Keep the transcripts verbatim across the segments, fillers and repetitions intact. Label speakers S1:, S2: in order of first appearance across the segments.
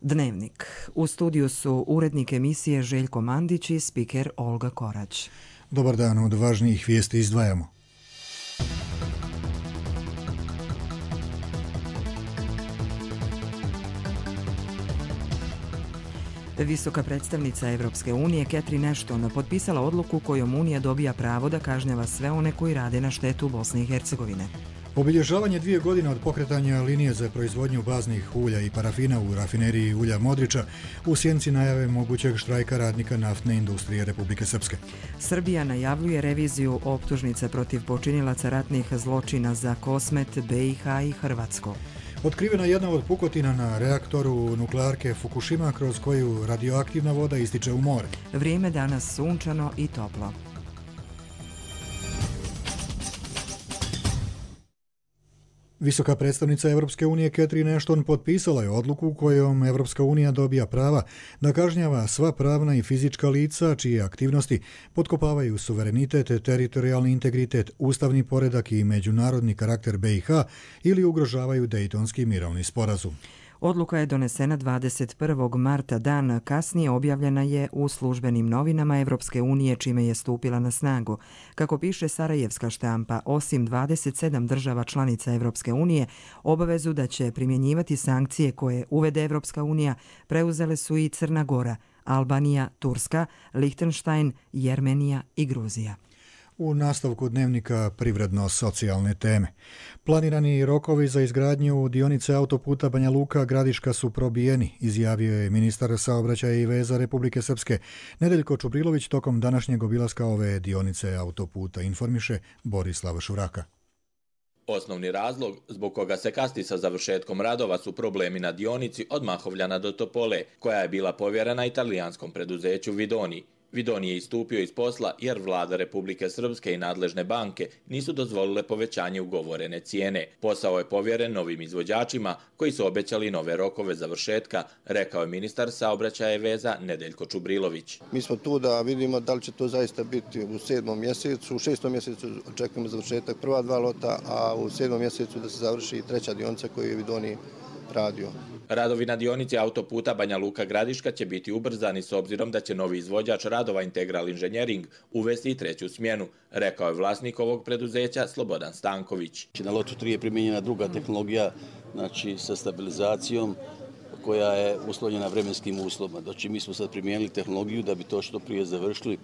S1: Dnevnik. U studiju su urednik emisije Željko Mandić i spiker Olga Korać.
S2: Dobar dan, od važnijih vijesti izdvajamo.
S1: Visoka predstavnica Evropske unije Catherine Ashton potpisala odluku kojom Unija dobija pravo da kažnjava sve one koji rade na štetu Bosne i Hercegovine.
S2: Obilježavanje dvije godine od pokretanja linije za proizvodnju baznih ulja i parafina u rafineriji ulja Modriča u sjenici najave mogućeg štrajka radnika naftne industrije Republike Srpske.
S1: Srbija najavljuje reviziju optužnica protiv počinilaca ratnih zločina za Kosmet, B i H i Hrvatsko.
S2: Otkrivena jedna od pukotina na reaktoru nuklearke Fukushima kroz koju radioaktivna voda ističe u more.
S1: Vrijeme danas sunčano i toplo.
S2: Visoka predstavnica Evropske unije Catherine Ashton potpisala je odluku kojom Evropska unija dobija prava da kažnjava sva pravna i fizička lica čije aktivnosti potkopavaju suverenitet, teritorijalni integritet, ustavni poredak i međunarodni karakter B i H ili ugrožavaju Dejtonski mirovni sporazum.
S1: Odluka je donesena dvadeset prvog marta, dan kasnije objavljena je u službenim novinama Evropske unije, čime je stupila na snagu. Kako piše sarajevska štampa, osim dvadeset sedam država članica Evropske unije, obavezu da će primjenjivati sankcije koje uvede Evropska unija preuzele su i Crna Gora, Albanija, Turska, Lihtenštajn, Jermenija i Gruzija.
S2: U nastavku dnevnika privredno-socijalne teme. Planirani rokovi za izgradnju dionice autoputa Banja Luka-Gradiška su probijeni, izjavio je ministar saobraćaja i veza Republike Srpske Nedeljko Čubrilović tokom današnjeg obilaska ove dionice autoputa, informiše Borislav Šuraka.
S3: Osnovni razlog zbog koga se kasni sa završetkom radova su problemi na dionici od Mahovljana do Topole, koja je bila povjerena italijanskom preduzeću Vidoni. Vidoni je istupio iz posla jer vlada Republike Srpske i nadležne banke nisu dozvolile povećanje ugovorene cijene. Posao je povjeren novim izvođačima koji su obećali nove rokove završetka, rekao je ministar saobraćaja i veza Nedeljko Čubrilović.
S4: Mi smo tu da vidimo da li će to zaista biti u sedmom mjesecu. U šestom mjesecu očekujemo završetak prva dva lota, a u sedmom mjesecu da se završi treća dionica koju je Vidoni radio.
S3: Radovi na dionici autoputa Banja Luka-Gradiška će biti ubrzani s obzirom da će novi izvođač radova Integral Inženjering uvesti i treću smjenu, rekao je vlasnik ovog preduzeća Slobodan Stanković.
S5: Na lotu tri je primijenjena druga tehnologija, znači sa stabilizacijom koja je uslovljena vremenskim uslovima. Znači mi smo sad primijenili tehnologiju da bi to što prije završili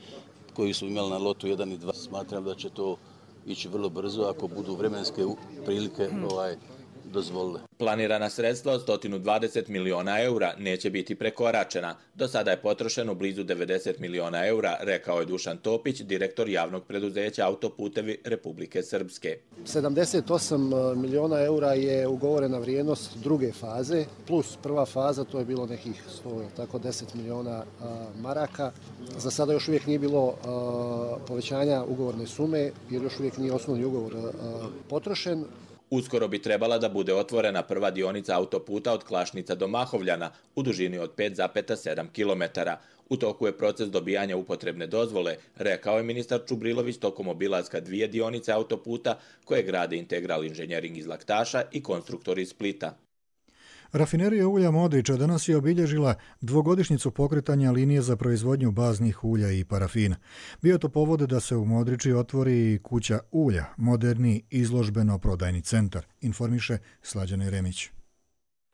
S5: koju smo imali na lotu jedan i dva. Smatram da će to ići vrlo brzo ako budu vremenske prilike ovaj, dozvolile.
S3: Planirana sredstva od sto dvadeset miliona eura neće biti prekoračena. Do sada je potrošeno blizu devedeset miliona eura, rekao je Dušan Topić, direktor javnog preduzeća Autoputevi Republike Srpske.
S6: sedamdeset osam miliona eura je ugovorena vrijednost druge faze, plus prva faza, to je bilo nekih sto, tako deset miliona maraka. Za sada još uvijek nije bilo povećanja ugovorne sume, jer još uvijek nije osnovni ugovor potrošen.
S3: Uskoro bi trebala da bude otvorena prva dionica autoputa od Klašnica do Mahovljana u dužini od pet zarez sedam kilometara. U toku je proces dobijanja upotrebne dozvole, rekao je ministar Čubrilović tokom obilaska dvije dionice autoputa koje grade Integral Inženjering iz Laktaša i konstruktor iz Splita.
S2: Rafinerija ulja Modriča danas je obilježila dvogodišnjicu pokretanja linije za proizvodnju baznih ulja i parafina. Bio to povod da se u Modriči otvori kuća ulja, moderni izložbeno-prodajni centar, informiše Slađan Jeremić.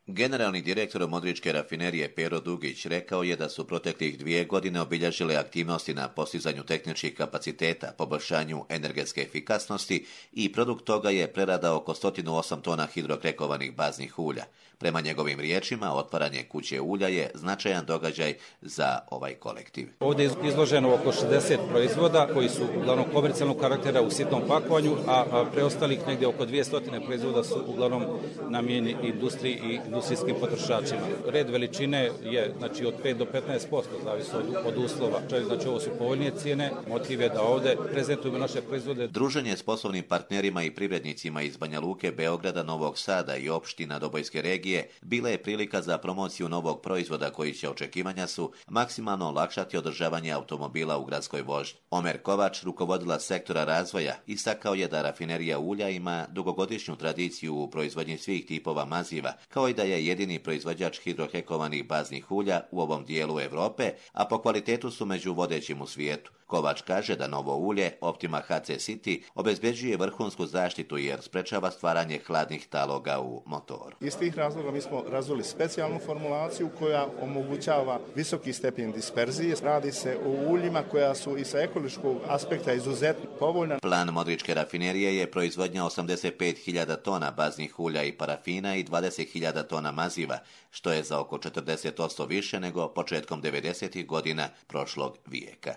S7: Generalni direktor Modričke rafinerije Pero Dugić rekao je da su proteklih dvije godine obilježile aktivnosti na postizanju tehničkih kapaciteta, poboljšanju energetske efikasnosti i produkt toga je prerada oko sto osam tona hidrokrekovanih baznih ulja. Prema njegovim riječima, otvaranje kuće ulja je značajan događaj za ovaj kolektiv.
S8: Ovdje je izloženo oko šezdeset proizvoda koji su uglavnom komercijalnog karaktera u sitnom pakovanju, a preostalih negdje oko dvjesto proizvoda su uglavnom namijenjeni industriji i industrijskim potrošačima. Red veličine je znači od pet do petnaest posto, zavisi od, od uslova. Znači ovo su povoljnije cijene, motiv je da ovdje prezentujemo naše proizvode.
S7: Druženje s poslovnim partnerima i privrednicima iz Banja Luke, Beograda, Novog Sada i opština Dobojske regije bila je prilika za promociju novog proizvoda koji će, očekivanja su, maksimalno olakšati održavanje automobila u gradskoj vožnji. Omer Kovač, rukovodila sektora razvoja, istakao je da rafinerija ulja ima dugogodišnju tradiciju u proizvodnji svih tipova maziva, kao i da je jedini proizvođač hidrohekovanih baznih ulja u ovom dijelu Europe, a po kvalitetu su među vodećim u svijetu. Kovač kaže da novo ulje Optima H C City obezbeđuje vrhunsku zaštitu jer sprečava stvaranje hladnih taloga u motoru.
S9: Iz tih razloga mi smo razvili specijalnu formulaciju koja omogućava visoki stepen disperzije. Radi se o uljima koja su i sa ekološkog aspekta izuzetno povoljna.
S7: Plan Modričke rafinerije je proizvodnja osamdeset pet hiljada tona baznih ulja i parafina i dvadeset hiljada tona maziva, što je za oko četrdeset posto više nego početkom devedesetih godina prošlog vijeka.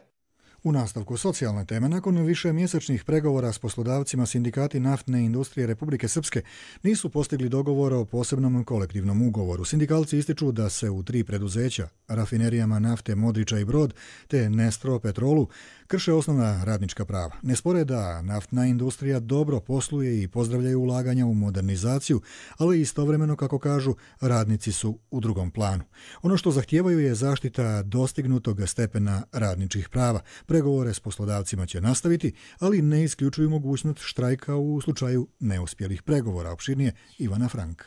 S2: U nastavku socijalne teme, nakon više mjesečnih pregovora s poslodavcima, sindikati naftne industrije Republike Srpske nisu postigli dogovor o posebnom kolektivnom ugovoru. Sindikalci ističu da se u tri preduzeća, rafinerijama nafte Modriča i Brod te Nestro Petrolu, krše osnovna radnička prava. Ne spore da naftna industrija dobro posluje i pozdravljaju ulaganja u modernizaciju, ali istovremeno, kako kažu, radnici su u drugom planu. Ono što zahtijevaju je zaštita dostignutog stepena radničkih prava. Pregovore s poslodavcima će nastaviti, ali ne isključuju mogućnost štrajka u slučaju neuspjelih pregovora. Opširnije Ivana Frank.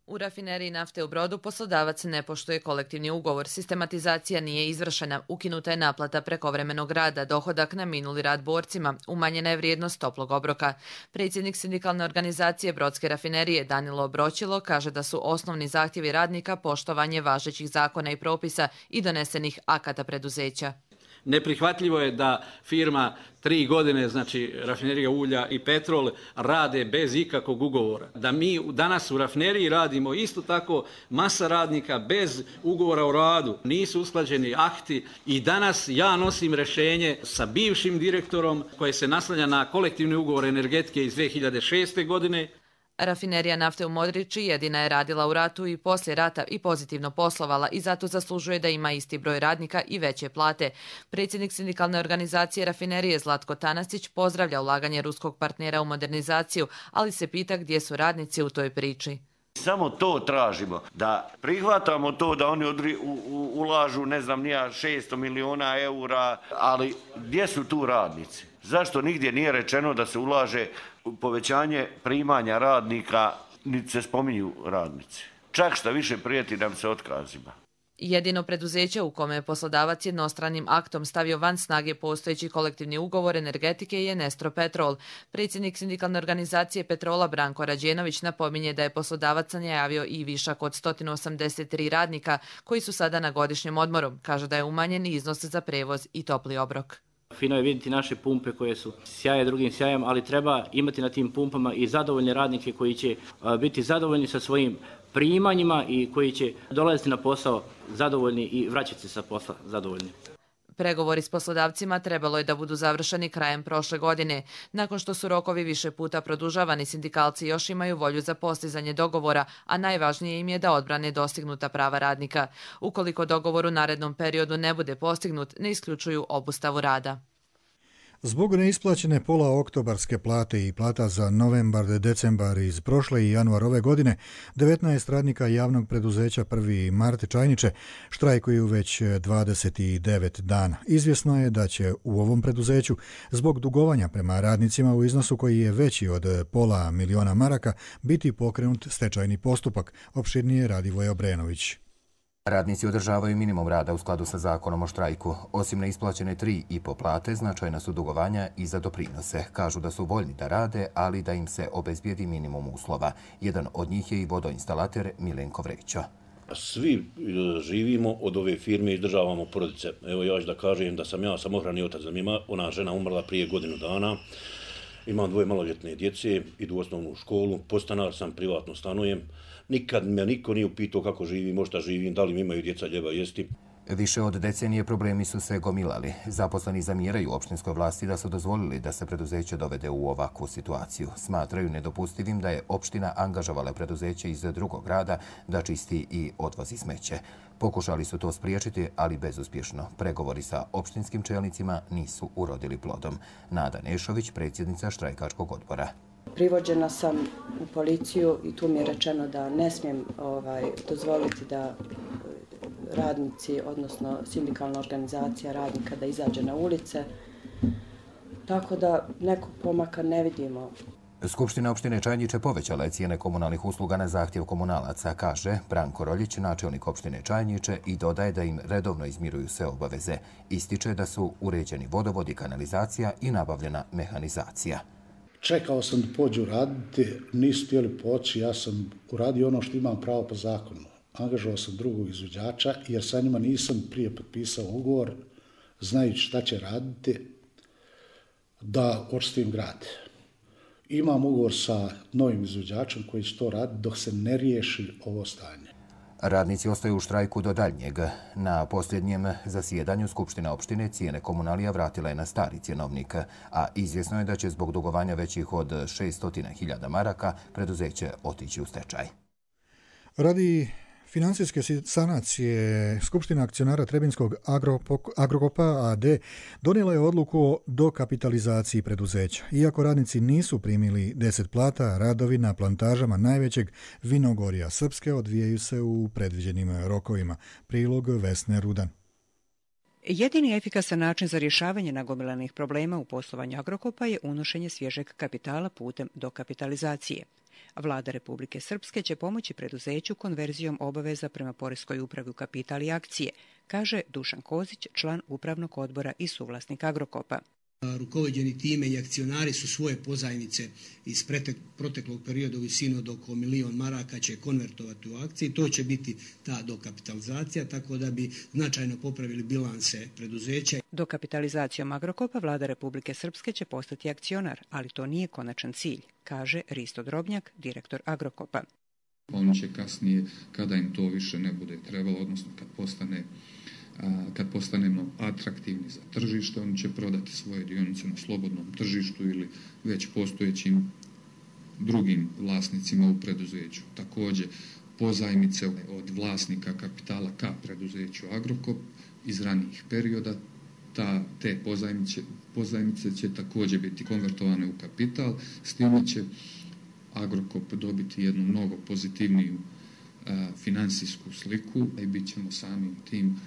S10: U rafineriji nafte u Brodu poslodavac ne poštuje kolektivni ugovor, sistematizacija nije izvršena, ukinuta je naplata prekovremenog rada, dohodak na minuli rad borcima, umanjena je vrijednost toplog obroka. Predsjednik sindikalne organizacije Brodske rafinerije Danilo Obročilo kaže da su osnovni zahtjevi radnika poštovanje važećih zakona i propisa i donesenih akata preduzeća.
S11: Neprihvatljivo je da firma tri godine, znači rafinerija ulja i petrol, rade bez ikakvog ugovora. Da mi danas u rafineriji radimo isto tako masa radnika bez ugovora o radu. Nisu usklađeni akti i danas ja nosim rješenje sa bivšim direktorom koje se naslanja na kolektivni ugovor energetike iz dvije hiljade šeste. godine.
S10: Rafinerija nafte u Modriči jedina je radila u ratu i poslije rata i pozitivno poslovala i zato zaslužuje da ima isti broj radnika i veće plate. Predsjednik sindikalne organizacije rafinerije Zlatko Tanasić pozdravlja ulaganje ruskog partnera u modernizaciju, ali se pita gdje su radnici u toj priči.
S12: Samo to tražimo, da prihvatamo to da oni odri, u, u, ulažu, ne znam, nija šesto miliona eura, ali gdje su tu radnici? Zašto nigdje nije rečeno da se ulaže u povećanje primanja radnika, niti se spominju radnici? Čak šta više prijeti nam se otkazima.
S10: Jedino preduzeće u kome je poslodavac jednostranim aktom stavio van snage postojeći kolektivni ugovor energetike je Nestro Petrol. Predsjednik sindikalne organizacije Petrola Branko Rađenović napominje da je poslodavac najavio i višak od sto osamdeset tri radnika koji su sada na godišnjem odmoru. Kaže da je umanjen iznos za prevoz i topli obrok.
S13: Fino je vidjeti naše pumpe koje su sjaje drugim sjajem, ali treba imati na tim pumpama i zadovoljne radnike koji će biti zadovoljni sa svojim primanjima i koji će dolaziti na posao zadovoljni i vraćati se sa posla zadovoljni.
S10: Pregovori s poslodavcima trebalo je da budu završeni krajem prošle godine. Nakon što su rokovi više puta produžavani, sindikalci još imaju volju za postizanje dogovora, a najvažnije im je da odbrane dostignuta prava radnika. Ukoliko dogovor u narednom periodu ne bude postignut, ne isključuju obustavu rada.
S2: Zbog neisplaćene pola oktobarske plate i plata za novembar, decembar iz prošle i januar ove godine, devetnaest radnika javnog preduzeća prvi mart Čajniče štrajkuju već dvadeset devet dana. Izvjesno je da će u ovom preduzeću zbog dugovanja prema radnicima u iznosu koji je veći od pola miliona maraka biti pokrenut stečajni postupak, opširnije Radivoje Obrenović.
S14: Radnici održavaju minimum rada u skladu sa zakonom o štrajku. Osim neisplaćene tri i po plate, značajna su dugovanja i za doprinose. Kažu da su voljni da rade, ali da im se obezbijedi minimum uslova. Jedan od njih je i vodoinstalater Milenko Vreća.
S15: Svi živimo od ove firme i izdržavamo porodice. Evo ja ću da kažem da sam ja samohrani otac, da mi je ona žena umrla prije godinu dana. Imam dvoje maloljetne djece, idu u osnovnu školu, podstanar sam, privatno stanujem. Nikad me niko nije upitao kako živim, možda živim, da li mi imaju djeca ljeba jesti.
S14: Više od decenije problemi su se gomilali. Zaposleni zamjeraju opštinskoj vlasti da su dozvolili da se preduzeće dovede u ovakvu situaciju. Smatraju nedopustivim da je opština angažovala preduzeće iz drugog grada da čisti i odvozi smeće. Pokušali su to spriječiti, ali bezuspješno. Pregovori sa opštinskim čelnicima nisu urodili plodom. Nada Nešović, predsjednica štrajkačkog odbora.
S16: Privođena sam u policiju i tu mi je rečeno da ne smijem ovaj, dozvoliti da radnici, odnosno sindikalna organizacija radnika da izađe na ulice. Tako da nekog pomaka ne vidimo.
S14: Skupština opštine Čajniče povećala je cijene komunalnih usluga na zahtjev komunalaca, kaže Branko Roljić, načelnik opštine Čajniče, i dodaje da im redovno izmiruju sve obaveze. Ističe da su uređeni vodovod i kanalizacija i nabavljena mehanizacija.
S17: Čekao sam da pođu raditi, nisu htjeli poći, ja sam uradio ono što imam pravo po zakonu. Angažovao sam drugog izvođača jer sa njima nisam prije potpisao ugovor, znajući šta će raditi, da očistim grad. Imam ugovor sa novim izvođačem koji će to raditi dok se ne riješi ovo stanje.
S14: Radnici ostaju u štrajku do daljnjeg. Na posljednjem zasjedanju Skupština opštine cijene komunalija vratila je na stari cjenovnik, a izvjesno je da će zbog dugovanja većih od šesto hiljada maraka preduzeće otići u stečaj.
S2: Radi financijske sanacije Skupština akcionara Trebinskog Agrokopa a d donijela je odluku o dokapitalizaciji preduzeća. Iako radnici nisu primili deset plata, radovi na plantažama najvećeg vinogorja Srpske odvijaju se u predviđenim rokovima. Prilog Vesne Rudan.
S18: Jedini efikasan način za rješavanje nagomilanih problema u poslovanju Agrokopa je unošenje svježeg kapitala putem dokapitalizacije. Vlada Republike Srpske će pomoći preduzeću konverzijom obaveza prema Poreskoj upravi u kapital i akcije, kaže Dušan Kozić, član upravnog odbora i suvlasnik Agrokopa.
S19: Rukovođeni time i akcionari su svoje pozajmice iz proteklog perioda u visinu od oko milion maraka će konvertovati u akcije i to će biti ta dokapitalizacija, tako da bi značajno popravili bilanse preduzeća.
S18: Dokapitalizacijom Agrokopa Vlada Republike Srpske će postati akcionar, ali to nije konačan cilj, kaže Risto Drobnjak, direktor Agrokopa.
S20: Oni će kasnije, kada im to više ne bude trebalo, odnosno kad postane kad postanemo atraktivni za tržište, oni će prodati svoje dionice na slobodnom tržištu ili već postojećim drugim vlasnicima u preduzeću. Također, pozajmice od vlasnika kapitala ka preduzeću Agrokop iz ranijih perioda, ta, te pozajmice, pozajmice će također biti konvertovane u kapital, s time će Agrokop dobiti jednu mnogo pozitivniju a, finansijsku sliku i bit ćemo samim tim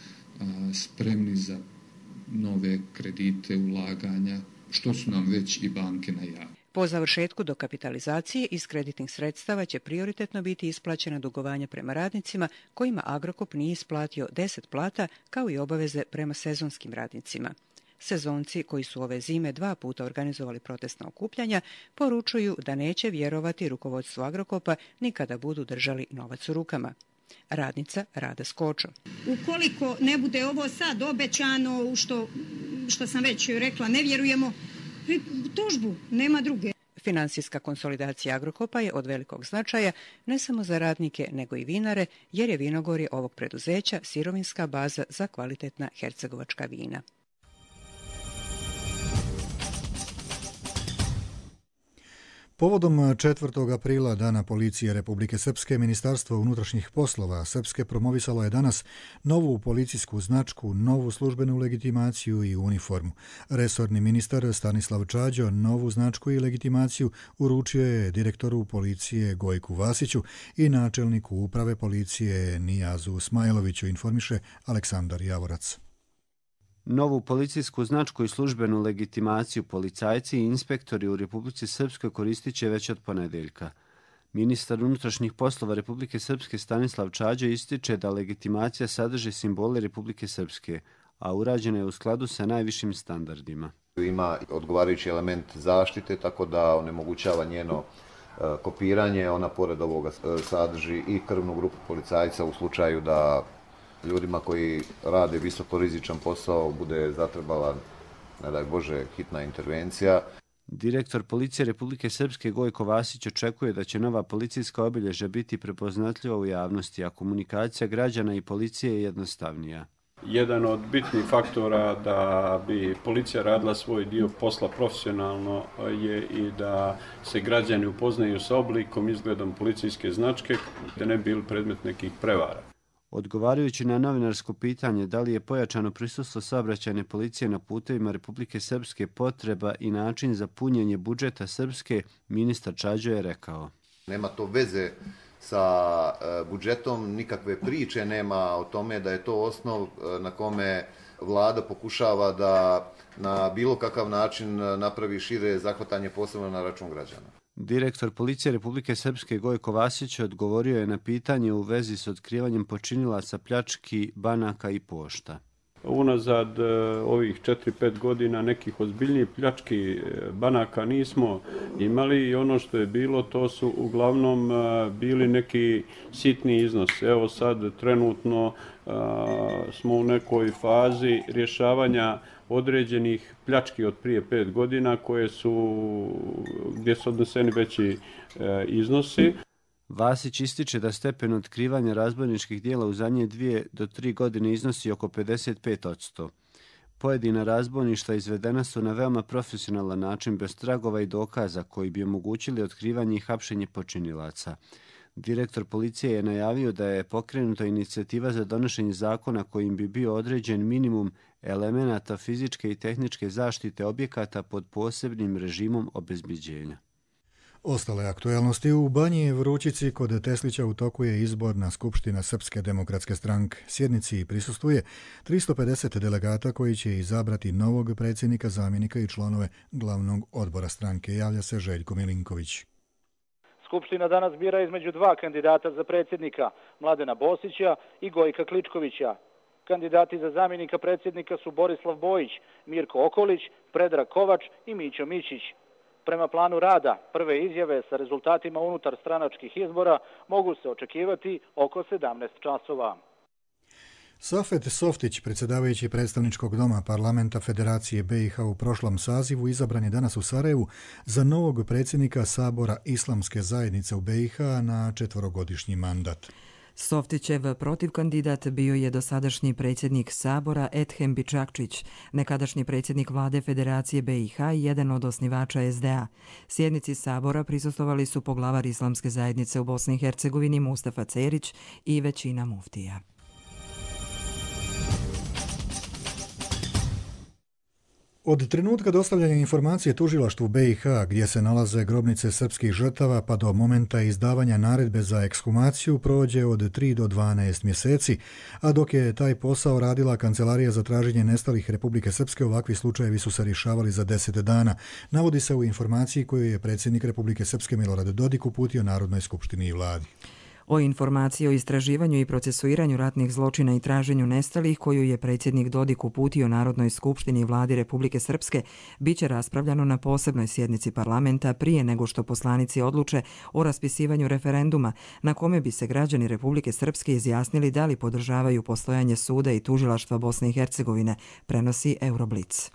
S20: spremni za nove kredite, ulaganja, što su nam već i banke najavile.
S18: Po završetku dokapitalizacije iz kreditnih sredstava će prioritetno biti isplaćena dugovanja prema radnicima kojima Agrokop nije isplatio deset plata, kao i obaveze prema sezonskim radnicima. Sezonci koji su ove zime dva puta organizovali protestna okupljanja poručuju da neće vjerovati rukovodstvu Agrokopa ni kada budu držali novac u rukama. Radnica Rada Skočo.
S21: Ukoliko ne bude ovo sad obećano, u što, što sam već rekla, ne vjerujemo, tužbu, nema druge.
S18: Finansijska konsolidacija Agrokopa je od velikog značaja ne samo za radnike, nego i vinare, jer je vinogorje ovog preduzeća sirovinska baza za kvalitetna hercegovačka vina.
S2: Povodom četvrtog aprila, Dana policije Republike Srpske, Ministarstvo unutrašnjih poslova Srpske promovisalo je danas novu policijsku značku, novu službenu legitimaciju i uniformu. Resorni ministar Stanislav Čađo novu značku i legitimaciju uručio je direktoru policije Gojku Vasiću i načelniku uprave policije Nijazu Smajloviću, informiše Aleksandar Javorac.
S22: Novu policijsku značku i službenu legitimaciju policajci i inspektori u Republici Srpskoj koristit će već od ponedeljka. Ministar unutrašnjih poslova Republike Srpske Stanislav Čađo ističe da legitimacija sadrži simbole Republike Srpske, a urađena je u skladu sa najvišim standardima.
S23: Ima odgovarajući element zaštite, tako da onemogućava njeno kopiranje. Ona pored ovoga sadrži i krvnu grupu policajca u slučaju da ljudima koji rade visokorizičan posao bude zatrebala, ne daj Bože, hitna intervencija.
S22: Direktor policije Republike Srpske Gojko Vasić očekuje da će nova policijska obilježja biti prepoznatljiva u javnosti, a komunikacija građana i policije je jednostavnija.
S24: Jedan od bitnih faktora da bi policija radila svoj dio posla profesionalno je i da se građani upoznaju sa oblikom, izgledom policijske značke, da ne bi bili predmet nekih prevara.
S22: Odgovarajući na novinarsko pitanje da li je pojačano prisustvo saobraćajne policije na putevima Republike Srpske potreba i način za punjenje budžeta Srpske, ministar Čađo je rekao.
S23: Nema to veze sa budžetom, nikakve priče nema o tome da je to osnov na kome vlada pokušava da na bilo kakav način napravi šire zahvatanje posebno na račun građana.
S22: Direktor policije Republike Srpske Gojko Vasić odgovorio je na pitanje u vezi s otkrivanjem počinilaca pljački banaka i pošta.
S24: Unazad ovih četiri pet godina nekih ozbiljnijih pljački banaka nismo imali i ono što je bilo to su uglavnom bili neki sitni iznos. Evo sad trenutno smo u nekoj fazi rješavanja određenih pljački od prije pet godina koje su, gdje su odneseni veći iznosi.
S22: Vasić ističe da stepen otkrivanja razbojničkih dijela u zadnje dvije do tri godine iznosi oko pedeset pet posto. Pojedina razbojništva izvedena su na veoma profesionalan način bez tragova i dokaza koji bi omogućili otkrivanje i hapšenje počinilaca. Direktor policije je najavio da je pokrenuta inicijativa za donošenje zakona kojim bi bio određen minimum elemenata fizičke i tehničke zaštite objekata pod posebnim režimom obezbeđenja.
S2: Ostale aktuelnosti u Banji Vrućici kod Teslića u toku je izborna skupština Srpske demokratske stranke. Sjednici prisustvuje tristo pedeset delegata koji će izabrati novog predsjednika, zamjenika i članove glavnog odbora stranke. Javlja se Željko Milinković.
S1: Skupština danas bira između dva kandidata za predsjednika, Mladena Bosića i Gojka Kličkovića. Kandidati za zamjenika predsjednika su Borislav Bojić, Mirko Okolić, Predrag Kovač i Mićo Mićić. Prema planu rada, prve izjave sa rezultatima unutar stranačkih izbora mogu se očekivati oko sedamnaest časova.
S2: Safet Softić, predsjedavajući predstavničkog doma parlamenta Federacije B i H u prošlom sazivu, izabran je danas u Sarajevu za novog predsjednika Sabora Islamske zajednice u B i H na četvorogodišnji mandat.
S4: Softićev protivkandidat bio je dosadašnji predsjednik Sabora Ethem Bičakčić, nekadašnji predsjednik vlade Federacije B i H i jedan od osnivača S D A. Sjednici Sabora prisustvovali su poglavar Islamske zajednice u Bosni i Hercegovini Mustafa Cerić i većina muftija.
S2: Od trenutka dostavljanja informacije tužilaštvu B i H gdje se nalaze grobnice srpskih žrtava pa do momenta izdavanja naredbe za ekshumaciju prođe od tri do dvanaest mjeseci, a dok je taj posao radila Kancelarija za traženje nestalih Republike Srpske, ovakvi slučajevi su se rješavali za deset dana, navodi se u informaciji koju je predsjednik Republike Srpske Milorad Dodik uputio Narodnoj skupštini i vladi.
S4: O informaciji o istraživanju i procesuiranju ratnih zločina i traženju nestalih koju je predsjednik Dodik uputio Narodnoj skupštini i vladi Republike Srpske biće raspravljano na posebnoj sjednici parlamenta prije nego što poslanici odluče o raspisivanju referenduma na kome bi se građani Republike Srpske izjasnili da li podržavaju postojanje suda i tužilaštva Bosne i Hercegovine, prenosi Euroblitz.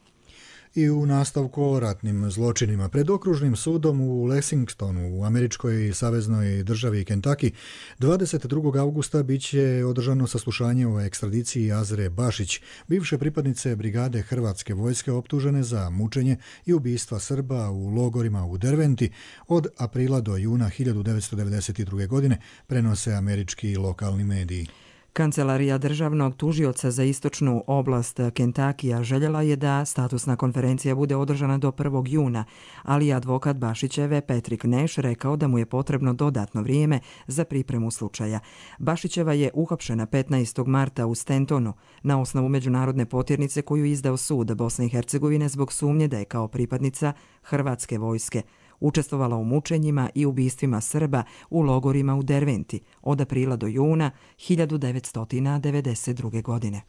S2: I u nastavku o ratnim zločinima. Pred okružnim sudom u Lexingtonu u američkoj saveznoj državi Kentucky dvadeset drugog augusta biće održano saslušanje o ekstradiciji Azre Bašić, bivše pripadnice brigade Hrvatske vojske optužene za mučenje i ubistva Srba u logorima u Derventi od aprila do juna hiljadu devetsto devedeset druge. godine, prenose američki i lokalni mediji.
S4: Kancelarija državnog tužioca za istočnu oblast Kentakija željela je da statusna konferencija bude održana do prvog juna, ali advokat Bašićeve Patrick Nash rekao da mu je potrebno dodatno vrijeme za pripremu slučaja. Bašićeva je uhapšena petnaestog marta u Stantonu na osnovu međunarodne potjernice koju izdao sud Bosne i Hercegovine zbog sumnje da je kao pripadnica Hrvatske vojske učestvovala u mučenjima i ubistvima Srba u logorima u Derventi od aprila do juna hiljadu devetsto devedeset druge. godine.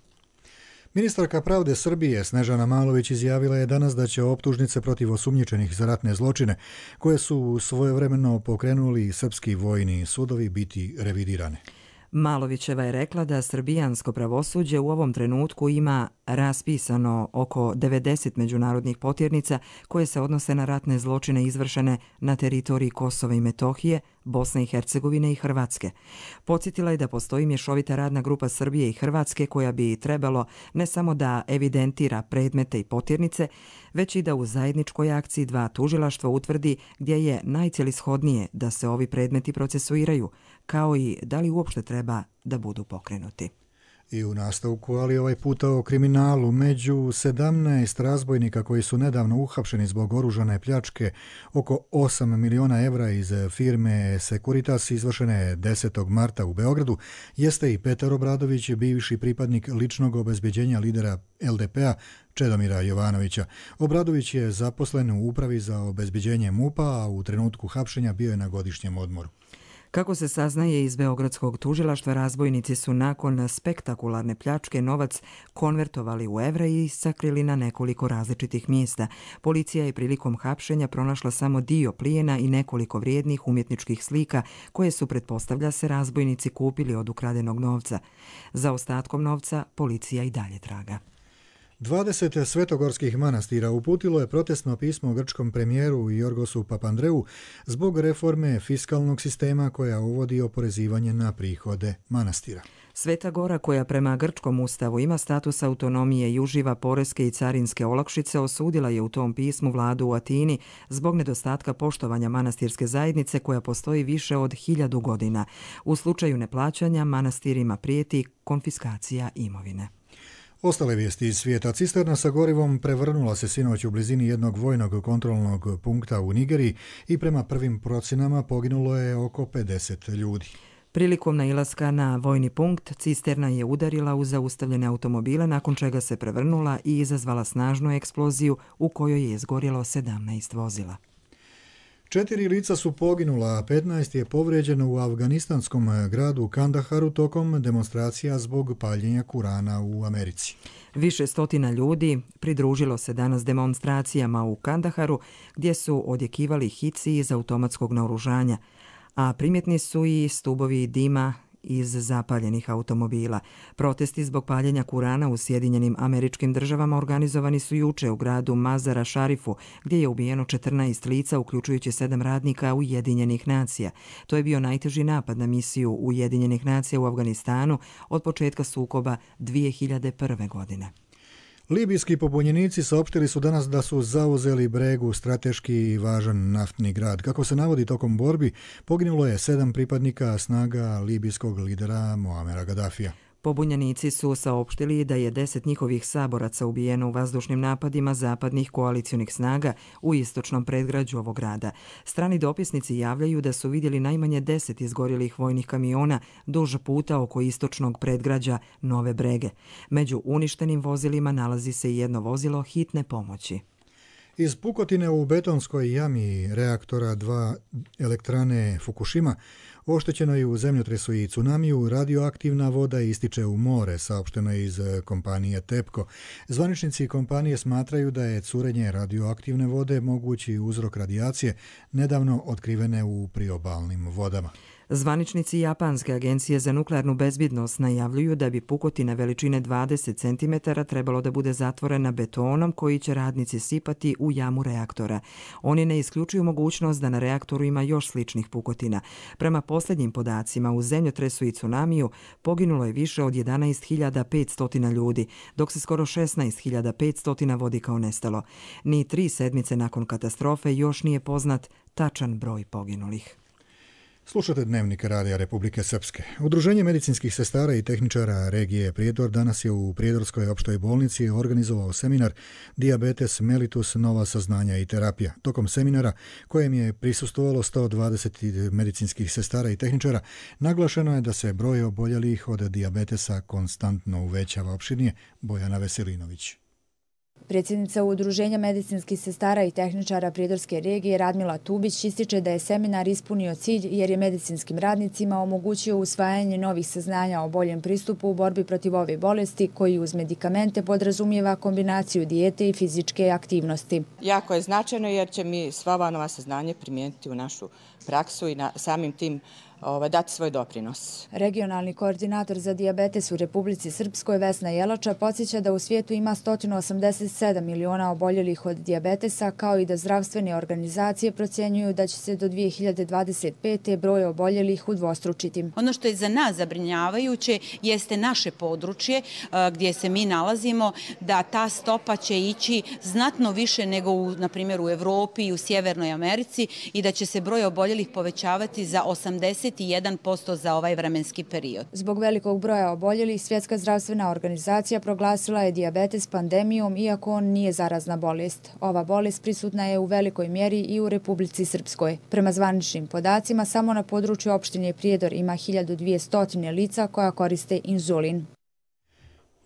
S2: Ministarka pravde Srbije Snežana Malović izjavila je danas da će optužnice protiv osumnjičenih za ratne zločine, koje su svojevremeno pokrenuli srpski vojni sudovi, biti revidirane.
S4: Malovićeva je rekla da srbijansko pravosuđe u ovom trenutku ima raspisano oko devedeset međunarodnih potjernica koje se odnose na ratne zločine izvršene na teritoriji Kosova i Metohije, Bosne i Hercegovine i Hrvatske. Podsjetila je da postoji mješovita radna grupa Srbije i Hrvatske koja bi trebalo ne samo da evidentira predmete i potjernice, već i da u zajedničkoj akciji dva tužilaštva utvrdi gdje je najcelishodnije da se ovi predmeti procesuiraju, kao i da li uopšte treba da budu pokrenuti.
S2: I u nastavku, ali ovaj puta o kriminalu, među sedamnaest razbojnika koji su nedavno uhapšeni zbog oružane pljačke oko osam miliona evra iz firme Securitas izvršene desetog marta u Beogradu, jeste i Petar Obradović, bivši pripadnik ličnog obezbeđenja lidera L D P-a Čedomira Jovanovića. Obradović je zaposlen u upravi za obezbeđenje MUP-a, a u trenutku hapšenja bio je na godišnjem odmoru.
S4: Kako se saznaje iz Beogradskog tužilaštva, razbojnici su nakon spektakularne pljačke novac konvertovali u evre i sakrili na nekoliko različitih mjesta. Policija je prilikom hapšenja pronašla samo dio plijena i nekoliko vrijednih umjetničkih slika koje su, pretpostavlja se, razbojnici kupili od ukradenog novca. Za ostatkom novca policija i dalje traga.
S2: dvadeset svetogorskih manastira uputilo je protestno pismo grčkom premijeru Jorgosu Papandreou zbog reforme fiskalnog sistema koja uvodi oporezivanje na prihode manastira.
S4: Sveta Gora, koja prema grčkom ustavu ima status autonomije i uživa poreske i carinske olakšice, osudila je u tom pismu vladu u Atini zbog nedostatka poštovanja manastirske zajednice koja postoji više od hiljadu godina. U slučaju neplaćanja manastirima prijeti konfiskacija imovine.
S2: Ostale vijesti iz svijeta. Cisterna sa gorivom prevrnula se sinoć u blizini jednog vojnog kontrolnog punkta u Nigeriji i prema prvim procjenama poginulo je oko pedeset ljudi.
S4: Prilikom nailaska na vojni punkt, cisterna je udarila u zaustavljene automobile, nakon čega se prevrnula i izazvala snažnu eksploziju u kojoj je izgorjelo sedamnaest vozila.
S2: Četiri lica su poginula, a petnaest je povrijeđeno u afganistanskom gradu Kandaharu tokom demonstracija zbog paljenja Kurana u Americi.
S4: Više stotina ljudi pridružilo se danas demonstracijama u Kandaharu, gdje su odjekivali hici iz automatskog naoružanja, a primjetni su i stubovi dima iz zapaljenih automobila. Protesti zbog paljenja Kurana u Sjedinjenim Američkim Državama organizovani su juče u gradu Mazara Šarifu, gdje je ubijeno četrnaest lica, uključujući sedam radnika Ujedinjenih nacija. To je bio najteži napad na misiju Ujedinjenih nacija u Afganistanu od početka sukoba dvije hiljade prve. godine.
S2: Libijski pobunjenici saopštili su danas da su zauzeli Bregu, strateški i važan naftni grad. Kako se navodi, tokom borbi poginulo je sedam pripadnika snaga libijskog lidera Muamera Gaddafija.
S4: Pobunjenici su saopštili da je deset njihovih saboraca ubijeno u vazdušnim napadima zapadnih koalicionih snaga u istočnom predgrađu ovog grada. Strani dopisnici javljaju da su vidjeli najmanje deset izgorjelih vojnih kamiona duž puta oko istočnog predgrađa Nove Brege. Među uništenim vozilima nalazi se i jedno vozilo hitne pomoći.
S2: Iz pukotine u betonskoj jami reaktora dva elektrane Fukushima oštećeno je u zemljotresu i tsunamiju, radioaktivna voda ističe u more, saopšteno je iz kompanije TEPCO. Zvaničnici kompanije smatraju da je curenje radioaktivne vode mogući uzrok radijacije nedavno otkrivene u priobalnim vodama.
S4: Zvaničnici Japanske agencije za nuklearnu bezbjednost najavljuju da bi pukotina veličine dvadeset centimetara trebalo da bude zatvorena betonom koji će radnici sipati u jamu reaktora. Oni ne isključuju mogućnost da na reaktoru ima još sličnih pukotina. Prema posljednjim podacima, u zemljotresu i tsunamiju poginulo je više od jedanaest hiljada petsto ljudi, dok se skoro šesnaest hiljada petsto vodi kao nestalo. Ni tri sedmice nakon katastrofe još nije poznat tačan broj poginulih.
S2: Slušate Dnevnik Radija Republike Srpske. Udruženje medicinskih sestara i tehničara regije Prijedor danas je u Prijedorskoj opštoj bolnici organizovao seminar Dijabetes mellitus, nova saznanja i terapija. Tokom seminara, kojem je prisustvovalo sto dvadeset medicinskih sestara i tehničara, naglašeno je da se broj oboljelih od dijabetesa konstantno uvećava. Opširnije Bojana Veselinović.
S3: Predsjednica Udruženja medicinskih sestara i tehničara Prijedorske regije Radmila Tubić ističe da je seminar ispunio cilj jer je medicinskim radnicima omogućio usvajanje novih saznanja o boljem pristupu u borbi protiv ove bolesti koji uz medikamente podrazumijeva kombinaciju dijete i fizičke aktivnosti.
S5: Jako je značajno jer će mi sva ova nova saznanja primijeniti u našu praksu i na samim tim dati svoj doprinos.
S3: Regionalni koordinator za dijabetes u Republici Srpskoj Vesna Jelača podsjeća da u svijetu ima sto osamdeset sedam miliona oboljelih od dijabetesa, kao i da zdravstvene organizacije procjenjuju da će se do dvije hiljade dvadeset pete broj oboljelih udvostručiti.
S6: Ono što je za nas zabrinjavajuće jeste naše područje gdje se mi nalazimo, da ta stopa će ići znatno više nego u, na primjer, u Evropi i u Sjevernoj Americi i da će se broj oboljelih povećavati za osamdeset pedeset jedan posto za ovaj vremenski period.
S3: Zbog velikog broja oboljelih, Svjetska zdravstvena organizacija proglasila je dijabetes pandemijom, iako on nije zarazna bolest. Ova bolest prisutna je u velikoj mjeri i u Republici Srpskoj. Prema zvaničnim podacima, samo na području opštine Prijedor ima hiljadu dvjesto lica koja koriste inzulin.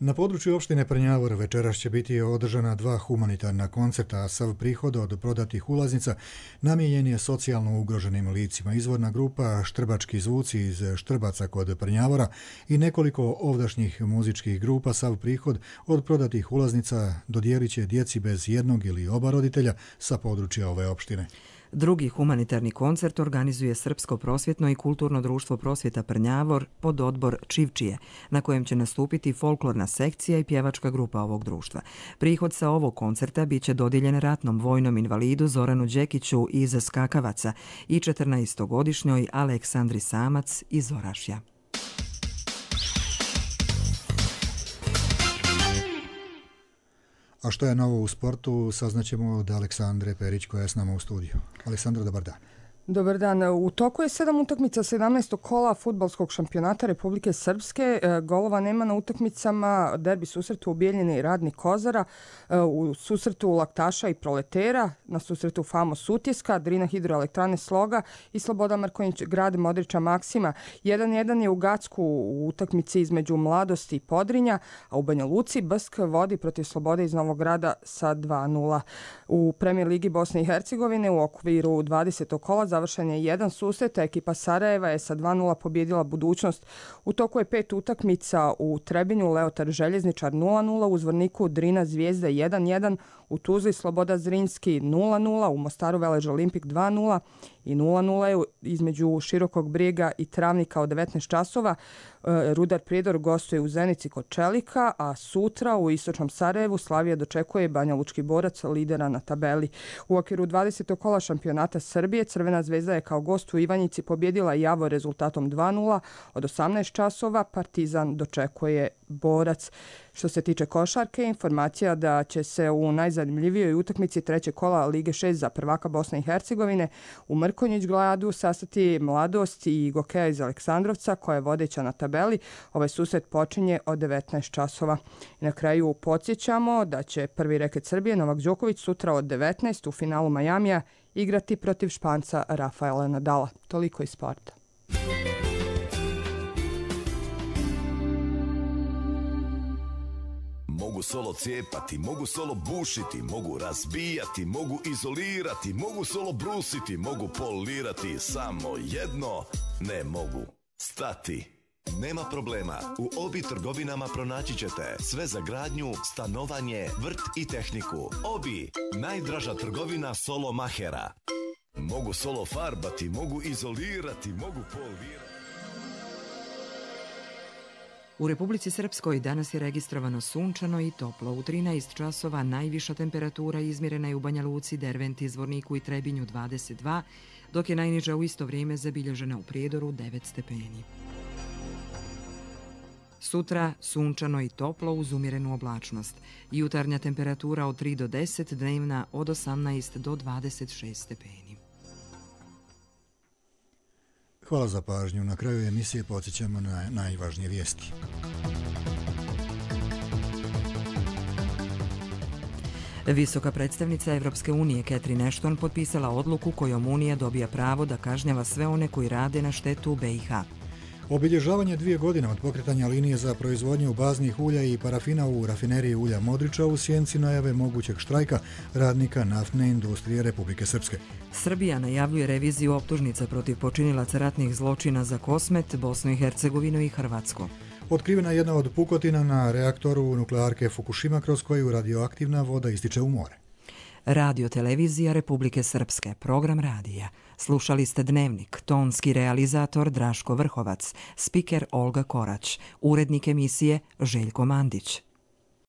S2: Na području opštine Prnjavor večeras će biti održana dva humanitarna koncerta, a sav prihod od prodatih ulaznica namijenjen je socijalno ugroženim licima. Izvorna grupa Štrbački zvuci iz Štrbaca kod Prnjavora i nekoliko ovdašnjih muzičkih grupa sav prihod od prodatih ulaznica dodijelit će djeci bez jednog ili oba roditelja sa područja ove opštine.
S4: Drugi humanitarni koncert organizuje Srpsko prosvjetno i kulturno društvo Prosvjeta Prnjavor pod odbor Čivčije, na kojem će nastupiti folklorna sekcija i pjevačka grupa ovog društva. Prihod sa ovog koncerta bit će dodijeljen ratnom vojnom invalidu Zoranu Đekiću iz Skakavaca i četrnaestogodišnjoj Aleksandri Samac iz Orašja.
S2: A što je novo u sportu, saznaćemo od Aleksandre Perić koja je s nama u studiju. Aleksandra, dobar dan.
S7: Dobar dan. U toku je sedam utakmica sedamnaestog kola fudbalskog šampionata Republike Srpske. Golova nema na utakmicama derbi susretu u Bijeljini i Radnik Kozara, u susretu Laktaša i Proletera, na susretu Famos Sutjeska, Drina Hidroelektrane Sloga i Sloboda Markonjić Grad Modrića Maksima. jedan jedan je u Gacku u utakmici između Mladosti i Podrinja, a u Banja Luci Bsk vodi protiv Slobode iz Novog Grada sa dva nula. U Premijer Ligi Bosne i Hercegovine u okviru dvadesetog kola završen je jedan susret, a ekipa Sarajeva je sa dva nula pobjedila Budućnost. U toku je pet utakmica u Trebinju, Leotar Željezničar nula nula, u Zvorniku Drina Zvijezda jedan jedan, u Tuzli Sloboda Zrinski nula nula, u Mostaru Velež Olimpik dva nula i nula nula je između Širokog Brijega i Travnika od devetnaest časova. Rudar Prijedor gostuje u Zenici kod Čelika, a sutra u Istočnom Sarajevu Slavija dočekuje Banja Lučki Borac, lidera na tabeli. U okviru dvadesetog kola šampionata Srbije Crvena zvezda je kao gost u Ivanjici pobjedila Javor rezultatom dva nula. Od osamnaest časova Partizan dočekuje Borac. Što se tiče košarke, informacija da će se u najzanimljivijoj utakmici trećeg kola Lige šest za prvaka Bosne i Hercegovine u Mrkonjić Gradu sastati Mladost i Gokeja iz Aleksandrovca, koja je vodeća na tabeli. Ovaj susret počinje od devetnaest časova. I na kraju podsjećamo da će prvi reket Srbije Novak Đoković sutra od devetnaest u finalu Majamija igrati protiv Španca Rafaela Nadala. Toliko iz sporta.
S8: Mogu solo cijepati, mogu solo bušiti, mogu razbijati, mogu izolirati, mogu solo brusiti, mogu polirati, samo jedno ne mogu stati. Nema problema, u Obi trgovinama pronaći ćete sve za gradnju, stanovanje, vrt i tehniku. Obi, najdraža trgovina solo mahera. Mogu solo farbati, mogu izolirati, mogu polirati.
S4: U Republici Srpskoj danas je registrovano sunčano i toplo. U trinaest časova najviša temperatura izmjerena je u Banja Luci, Derventi, Zvorniku i Trebinju dvadeset dva, dok je najniža u isto vrijeme zabilježena u Prijedoru devet stepeni. Sutra sunčano i toplo uz umjerenu oblačnost. Jutarnja temperatura od tri do deset, dnevna od osamnaest do dvadeset šest stepeni.
S2: Hvala za pažnju. Na kraju emisije podsjećamo na najvažnije vijesti.
S4: Visoka predstavnica Evropske unije Catherine Ashton potpisala odluku kojom Unija dobija pravo da kažnjava sve one koji rade na štetu B i H.
S2: Obilježavanje dvije godine od pokretanja linije za proizvodnju baznih ulja i parafina u rafineriji ulja Modrića u sjenci najave mogućeg štrajka radnika naftne industrije Republike Srpske.
S4: Srbija najavljuje reviziju optužnica protiv počinilaca ratnih zločina za Kosmet, Bosnu i Hercegovinu i Hrvatsku.
S2: Otkrivena je jedna od pukotina na reaktoru nuklearke Fukushima kroz koju radioaktivna voda ističe u more.
S4: Radio televizija Republike Srpske, program radija. Slušali ste Dnevnik, tonski realizator Draško Vrhovac, spiker Olga Korać, urednik emisije Željko Mandić.